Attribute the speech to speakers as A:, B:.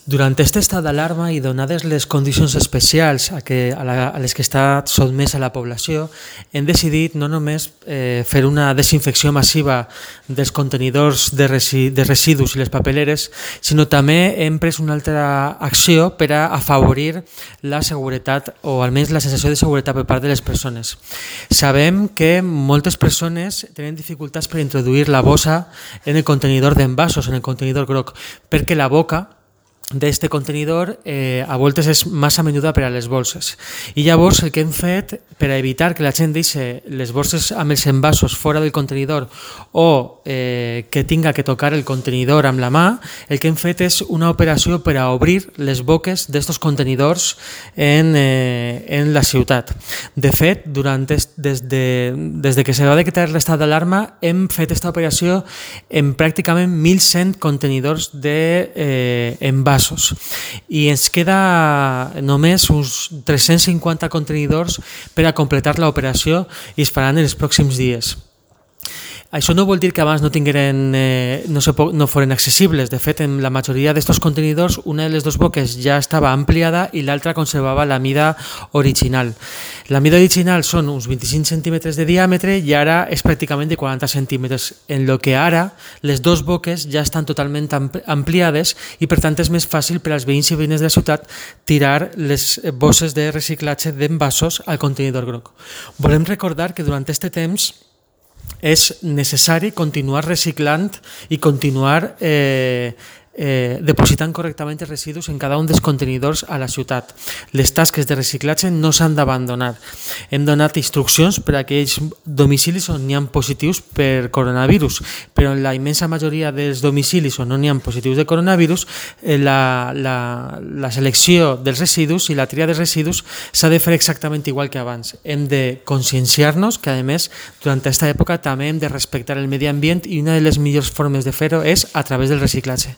A: Durant aquest estat d'alarma i donades les condicions especials a les que està sotmesa la població, hem decidit no només fer una desinfecció massiva dels contenidors de residus i les papeleres, sinó també hem pres una altra acció per a afavorir la seguretat o almenys la sensació de seguretat per part de les persones. Sabem que moltes persones tenen dificultats per introduir la bossa en el contenidor d'envasos, en el contenidor groc, perquè la boca d'aquest contenidor a voltes és massa menuda per a les bolses. I llavors el que hem fet per a evitar que la gent deixi les bolses amb els envasos fora del contenidor o que tinga que tocar el contenidor amb la mà, el que hem fet és una operació per a obrir les boques d'aquests contenidors en la ciutat. De fet, des que se va decretar l'estat d'alarma hem fet aquesta operació en pràcticament 1.100 contenidors d'envasos. I ens queda només uns 350 contenidors per a completar l'operació i es faran en els pròxims dies. Això no vol dir que abans no foren accessibles. De fet, en la majoria d'aquests contenidors, una de les dues boques ja estava ampliada i l'altra conservava la mida original. La mida original són uns 25 centímetres de diàmetre i ara és pràcticament de 40 centímetres, en el que ara les dues boques ja estan totalment ampliades i per tant és més fàcil per als veïns i veïnes de la ciutat tirar les bosses de reciclatge d'envasos al contenidor groc. Volem recordar que durant aquest temps és necessari continuar reciclant i continuar depositant correctament els residus en cada un dels contenidors a la ciutat. Les tasques de reciclatge no s'han d'abandonar. Hem donat instruccions per a aquells domicilis on n'hi ha positius per coronavirus, però en la immensa majoria dels domicilis on no n'hi ha positius de coronavirus, la selecció dels residus i la tria dels residus s'ha de fer exactament igual que abans. Hem de conscienciar-nos que, a més, durant aquesta època també hem de respectar el medi ambient i una de les millors formes de fer-ho és a través del reciclatge.